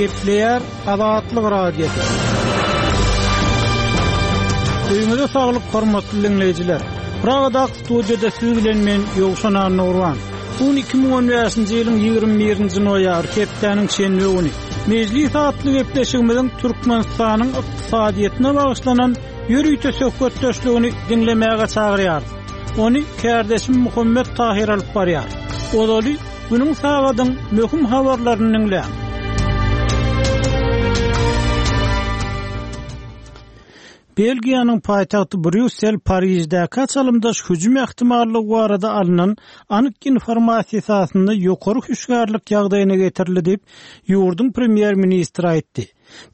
Gepleýär Azatlyk Radiosy. Öýüňize saglyk hormatly diňleýjiler. Pragadaky studiýada siz bilen men Ýowşan Annagurban. Bu gün 2015-nji ýylyň 21-nji noýabry, hepdäniň şenbe güni. Mejlis atly gepleşigimiziň Türkmenistanyň ykdysadyýetine bagyşlanan ýörite söhbetdeşligini diňlemäge çagyrýarys. Ony kärdeşim Muhammet Tahyr alyp barýar. Ozaly Günüň sagadyň möhüm habarlaryny diňläň. Belgiýanyň paýtagty Brýussel Pariždäki çalymdaş hüjüm ähtimallygy barada alnan anyk informasiýa esasynda ýokary hüşgärlik ýagdaýyna getirildi diýip, ýurduň premýer-ministri aýtdy.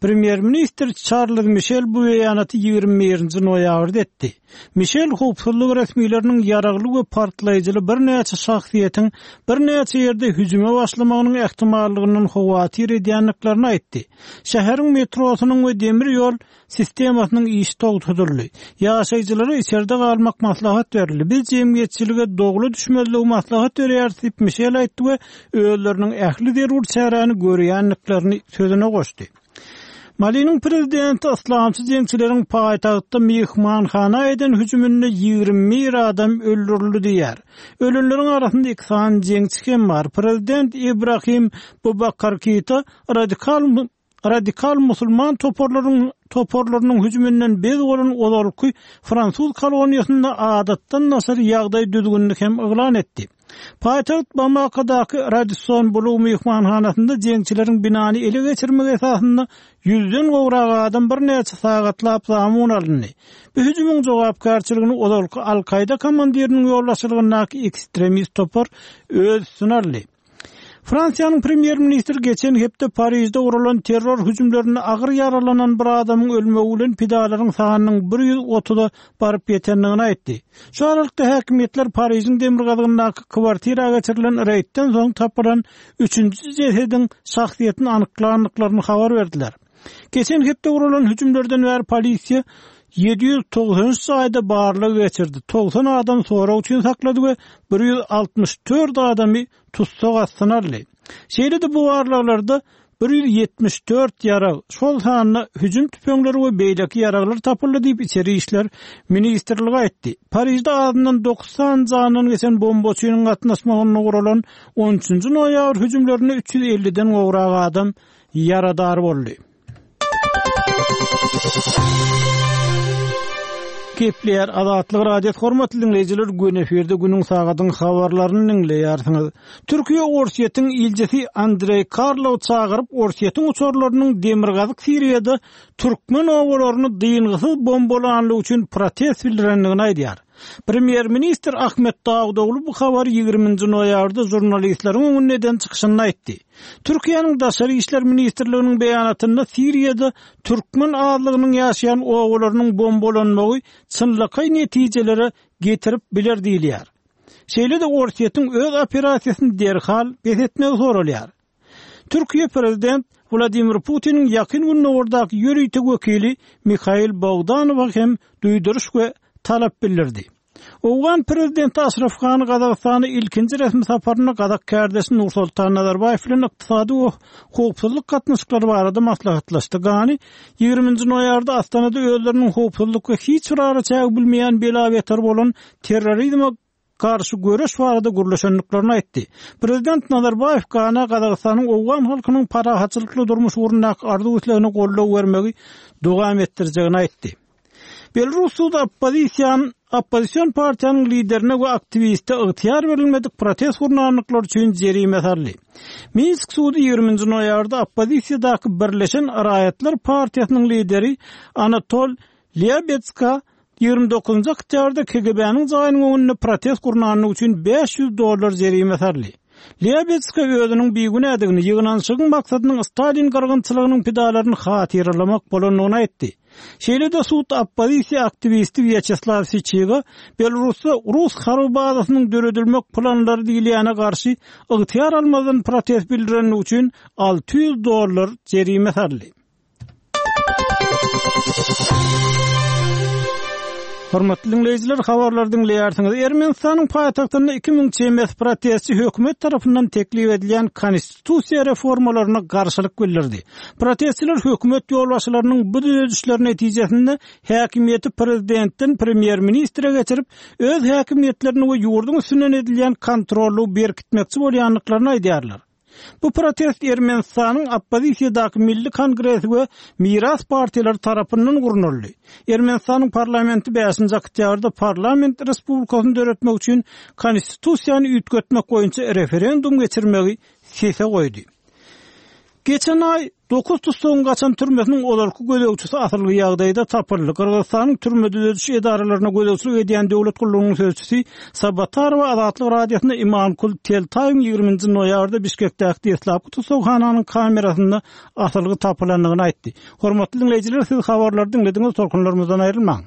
Premýer-ministr Çarlz Mişel bu beýanaty 21-nji noýabrda etdi. Mişel howpsuzlyk resmileriniň ýaragly we partlaýjyly birnäçe şahsyýetiň birnäçe ýerde hüjüme başlamagynyň ähtimallygyndan howatyr edýändiklerini aýtdy. Şäheriň metrosynyň we demir ýol sistemasynyň işi togtadyldy. Ýaşaýjylara içerde galmak maslahat berildi. Biz jemgyýetçilige dowla düşmezligi maslahat berýäris diýip, Mişel aýtdy we özleriniň ähli zerur çäräni görýändiklerini sözüne goşdy. Maliniň prezidenti yslamçy jeňçileriň paýtagtda myhmanhana eden hüjüminde 21 adam öldürildi diýýär. Ölenleriň arasynda iki sany jeňçi hem bar. Prezident Ibrahim Bubakar Keita radikal radikal musulman toparlaryň toparlarynyň hüjüminden bez bolan ozalky fransuz koloniýasynda adatdan daşary ýagdaý düzgünini hem yglan etdi. Paýtagt Bamakadaky Radisson Blu myhmanhanasynda jeňçileriň binany ele geçirmegi esasynda ýüzden gowrak adam birnäçe sagatlap zamun alyndy. Bu hüjümiň jogapkärçiligini ozalky Al-Kaýda komandiriniň ýolbaşçylygyndaky ekstremist topar öz üstüne aldy. Fransiýanyň premýer-ministri geçen hepde Parižde guralan terror hüjümlerinde agyr ýaralanan bir adamyň ölmegi bilen pidalaryň sanynyň 130-a baryp ýetendigini aýtdy. Şu aralykda häkimiýetler Parižiň demirgazygyndaky kwartira geçirilen reýdden soň tapylan üçünji jesediň şahsyýetini anyklandyklaryny habar berdiler. Geçen hepde guralan hüjümlerden bäri polisiýa 793 jaýda barlag geçirdi, 90 adam sorag üçin saklady we 164 adamy tussag astyna aldy. Şeýle-de bu barlaglarda 174 ýarag, şol sanda hüjüm tüpeňleri we beýleki ýaraglar tapyldy diýip, Içeri işler ministrligi aýtdy. Parižde azyndan dokuz sany jandan geçen bombaçynyň gatnaşmagynda guralan on üçünji noýabr hüjümlerinde 350-den gowrak adam ýaradar boldy. Gepleýär Azatlyk Radiosy hormatly diňleýjiler göni efirde günüň sagadyň habarlaryny diňleýärsiňiz. Türkiýe Orsýetiň ilçisi Andreý Karlow çagyryp Orsýetiň uçarlarynyň Demirgazyk Siriýada türkmen obalaryny dyngysyz bombalanlygy üçin protest bildirendigini aýdýar. Premýer-ministr Ahmet Dawutoglu bu habary 20-nji noýabrda žurnalistleriň öňünde eden çykyşynda aýtdy. Türkiýäniň Daşary işler ministrliginiň beýanatynda Siriýada türkmen azlygynyň ýaşaýan obalarynyň bombalanmagy çynlakaý netijelere getirip biler diýilýär. Şeýle-de Orsýetiň öz operasiýasyny derhal bes etmegi soralýar. Türkiýe prezident Wladimir Putiniň Ýakyn Gündogardaky ýörite wekili Mihail Bogdanowa hem duýduryş we talap bildirdi. Owgan prezidenti Aşraf Gani Gazagystana ilkinji resmi saparynda gazak kärdeşi Nursultan Nazarbaýew bilen ykdysady we howpsuzlyk gatnaşyklary barada maslahatlaşdy. Gani 20-nji noýabrda Astanada özleriniň howpsuzlyk we hiç bir araçägi bilmeýän bela-beter bolan terrorizme garşy göreş barada gürleşendiklerini aýtdy. Prezident Nazarbaýew Gana Gazagystanyň owgan halkynyň parahatçylykly durmuş ugrundaky arzuw-islegine goldaw bermegi dowam etdirjegini aýtdy. Belarus sudy oppozisiýan oppozision partiýanyň liderine we aktiwiste ygtyýar berilmedik protest gurnandyklary üçin jerime saldy. Minsk sudy 20-nji noýabrda oppozisiýadaky Birleşen raýatlar partiýasynyň lideri Anatol Lýabetska 29-njy oktýabrda KGB-niň jaýynyň öňünde protest gurnandygy üçin 500 dollar jerime saldy. Lýabetska özüniň bigünädigini, ýygnanyşygyň maksadynyň Stalin gyrgynçylygynyň pidalaryny hatyralamak bolandygyny aýtdy. Şeýle-de sud oppozisiýa aktiwisti Wýaçeslaw Syçiga Belarusda rus harby bazasynyň döredilmek planlary diýilýäne garşy ygtyýar almazdan protest bildirenligi üçin 600 dollar jerime saldy. Hormatly diňleýjiler, habarlary diňleýärsiňiz. Ermenistanyň paýtagtynda 2000 çemesi protestçi hökümet tarapyndan teklip edilýän konstitusiýa reformalaryna garşylyk bildirdi. Protestçiler hökümet ýolbaşçylarynyň bu düzedişler netijesinde häkimiýeti prezidentden premýer-ministre geçirip, öz häkimiýetlerini we ýurduň üstünden edilýän kontrollygy berkitmekçi bolýandyklaryny aýdýarlar. Bu protest Ermenistanyň oppozisiýadaky Milli kongresi we Miras partiýalary tarapyndan gurnaldy. Ermenistanyň parlamenti bäşinji oktýabrda parlament respublikasyny döretmek üçin konstitusiýany üýtgetmek boýunça referendum geçirmegi sese goýdy. Geçen aý Dokuz tussagyň gaçan türmesiniň ozalky gözegçisi asylgy ýagdaýda tapyldy. Gyrgyzystanyň türme-düzediş edaralaryna gözegçilik edýän döwlet gullugynyň sözçüsi Sabatarowa Azatlyk Radiosyna Imankul Teltaýewiň ýigriminji noýabrda Bişkekdäki deslapky tussaghananyň kamerasynda asylgy tapylandygyny aýtdy. Hormatly diňleýjiler, siz habarlary diňlediňiz, tolkunlarymyzdan aýrylmaň.